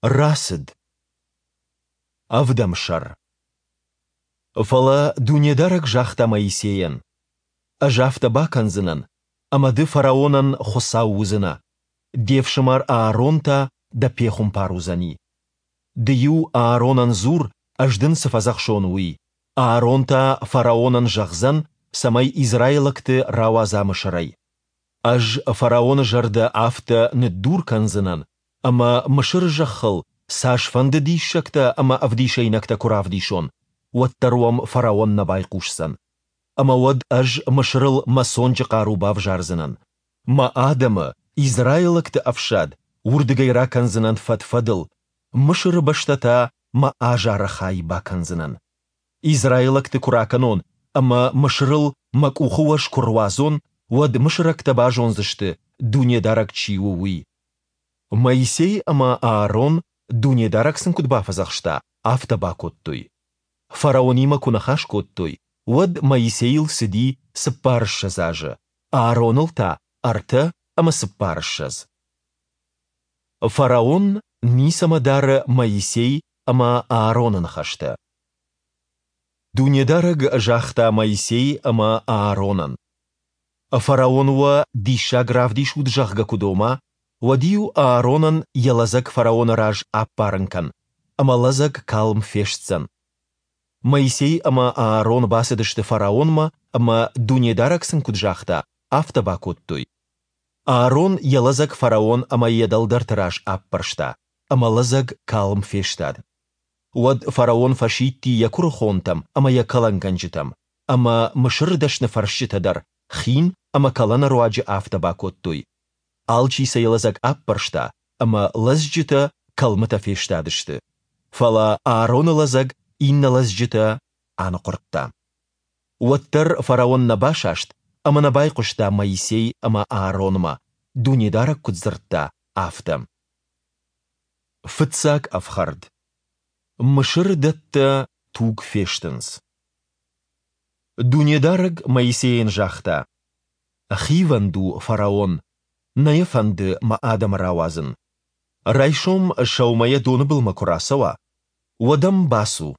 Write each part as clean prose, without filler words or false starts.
Рацыд. Ӕвдӕм сӕр. Фӕлӕ Дунедарӕг загъта Моисейӕн: Ӕз афтӕ бакӕндзынӕн, ӕмӕ ды фараонӕн Хуыцау уыдзынӕ, де фсымӕр Аарон та дӕ пехуымпар уыдзӕни. Ды-иу Ааронӕн дзур, ӕз дын цы фӕдзӕхсон, уый, Аарон та фараонӕн зӕгъдзӕн, цӕмӕй израилӕгты рауадза Мысырӕй. Ӕз фараоны зӕрдӕ афтӕ ныддур кӕндзынӕн, ӕмӕ Мысыры зӕххыл цасфӕнды диссӕгтӕ ӕмӕ ӕвдисӕйнӕгтӕ куы равдисон, уӕддӕр уӕм фараон нӕ байхъусдзӕн. Ӕмӕ уӕд ӕз Мысырыл мӕ цонджы хъару бавзардзынӕн. Мӕ адӕмы, израилӕгты ӕфсад, уырдыгӕй ракӕндзынӕн фӕд-фӕдыл, Мысыры бӕстӕ та мӕ азары хай бакӕндзынӕн. Израилӕгты куы ракӕнон ӕмӕ Мысырыл мӕ къухы уӕз куы руадзон, уӕд мысырӕгтӕ базондзысты, Дунедарӕг чи у, уый. Моисей ӕмӕ Аарон, Дунедарӕг сын куыд бафӕдзӕхста, афтӕ бакодтой. Фараонимӕ куы ныхас кодтой, уӕд Моисейыл цыди цыппарыссӕдз азы, Аароныл та 43. Фараон ницӕмӕ дары Моисей ӕмӕ Аароны ныхӕстӕ. Дунедарӕг загъта Моисей ӕмӕ Ааронӕн: Фараон уӕ диссаг равдисут, зӕгъгӕ, куы дома, уӕд-иу Ааронӕн йӕ лӕдзӕг фараоны раз аппарын кӕн, ӕмӕ лӕдзӕг калм фестдзӕн. Моисей ӕмӕ Аарон бацыдысты фараонмӕ ӕмӕ, Дунедарӕг сын куыд загъта, афтӕ бакодтой. Аарон йӕ лӕдзӕг фараон ӕмӕ йӕ дӕлдӕрты раз аппӕрста, ӕмӕ лӕдзӕг калм фестад. Уӕд фараон фӕсидти йӕ куырыхонтӕм ӕмӕ йӕ кӕлӕнгӕнджытӕм, ӕмӕ Мысыры дӕсныфӕрсджытӕ дӕр хин ӕмӕ кӕлӕны руаджы афтӕ бакодтой. Алчи сӕ йӕ лӕдзӕг аппӕрста, ӕмӕ лӕдзджытӕ кӕлмытӕ фестадысты. Фӕлӕ Аароны лӕдзӕг иннӕ лӕдзджытӕ аныхъуырдта. Уӕддӕр фараон нӕ басаст ӕмӕ нӕ байхъуыста Моисей ӕмӕ Ааронмӕ, Дунедарӕг куыд дзырдта, афтӕ. Фыццаг ӕфхӕрд. Мысыры дӕттӕ туг фестынц. Дунедарӕг Моисейӕн загъта: Хивӕнд у фараон, нӕ йӕ фӕнды мӕ адӕмы рауадзын. Райсом сӕумӕйӕ доны былмӕ куы рацӕуа, уӕд ӕм бацу,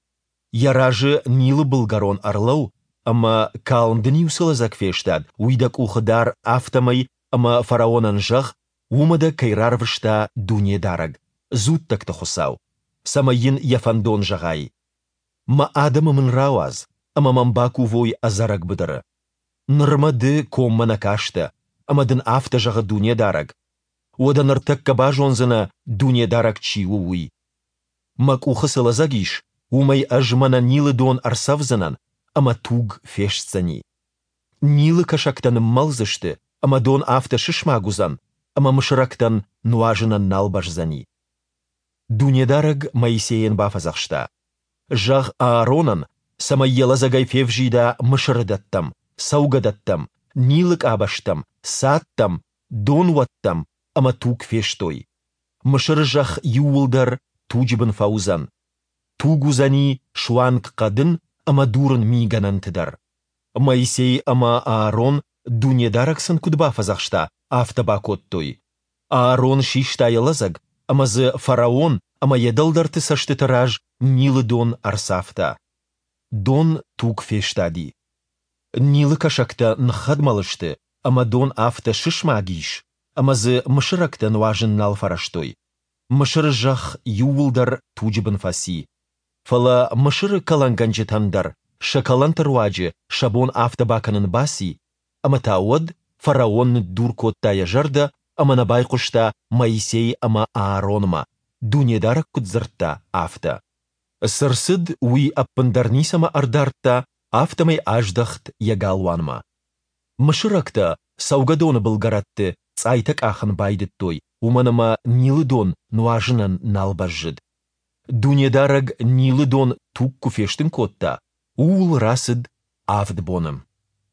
йӕ разы Нилы былгӕрон ӕрлӕуу ӕмӕ, калм дын-иу цы лӕдзӕг фестад, уый дӕ къухы дар, афтӕмӕй ӕмӕ фараонӕн зӕгъ, уымӕ дӕ кӕй рарвыста Дунедарӕг, дзуттӕгты Хуыцау, цӕмӕй йын йӕ фӕндон зӕгъай. Мӕ адӕмы мын рауадз, ӕмӕ мӕм бакувой ӕдзӕрӕг быдыры. Нырмӕ ды коммӕ нӕ кастӕ, ӕмӕ дын афтӕ зӕгъы Дунедарӕг. Уӕдӕ ныртӕккӕ базондзынӕ, Дунедарӕг чи у, уый. Мӕ къухы цы лӕдзӕг ис, уымӕй ӕз мӕнӕ Нилы дон ӕрцӕвдзынӕн, ӕмӕ туг фестдзӕни. Нилы кӕсӕгтӕ ныммӕлдзысты, ӕмӕ дон афтӕ сысмаг уыдзӕн, ӕмӕ мысырӕгтӕн нуазынӕн нал бӕздзӕни. Дунедарӕг Моисейӕн бафӕдзӕхста: Зӕгъ Ааронӕн, цӕмӕй йӕ лӕдзӕгӕй февзида Мысыры дӕттӕм, цӕугӕдӕттӕм, Нилы къабӕзтӕм, цадтӕм, донуӕттӕм ӕмӕ туг фестой. Мысыры зӕхх иууылдӕр туджы бын фӕуыдзӕн. Туг уыдзӕни суанг хъӕдын ӕмӕ дурын мигӕнӕнты дӕр. Моисей ӕмӕ Аарон, Дунедарӕг сын куыд бафӕдзӕхста, афтӕ бакодтой. Аарон систа йӕ лӕдзӕг ӕмӕ дзы фараон ӕмӕ йӕ дӕлдӕрты цӕстыты раз Нилы дон ӕрцавта. Дон туг фестади. Нилы кӕсӕгтӕ ныххӕдмӕл сты, ӕмӕ дон афтӕ сысмаг ис, ӕмӕ дзы мысырӕгтӕ нуазын нал фӕрӕзтой. Мысыры зӕхх иууылдӕр туджы бын фӕци. Фӕлӕ Мысыры кӕлӕнгӕнджытӕн дӕр сӕ кӕлӕнты руаджы сӕ бон афтӕ бакӕнын баци, ӕмӕ та уӕд фараон ныддур кодта йӕ зӕрдӕ ӕмӕ нӕ байхъуыста Моисей ӕмӕ Ааронмӕ, Дунедарӕг куыд дзырдта, афтӕ. Цы рцыд, уый ӕппындӕр ницӕмӕ ӕрдардта, афтӕмӕй аздӕхт йӕ галуанмӕ. Мысырӕгтӕ цӕугӕдоны былгӕрӕтты цъайтӕ къахын байдыдтой, уымӕн ӕмӕ Нилы дон нуазынӕн нал бӕззыд. Дунедарӕг Нилы дон туг куы фестын кодта, ууыл рацыд авд боны.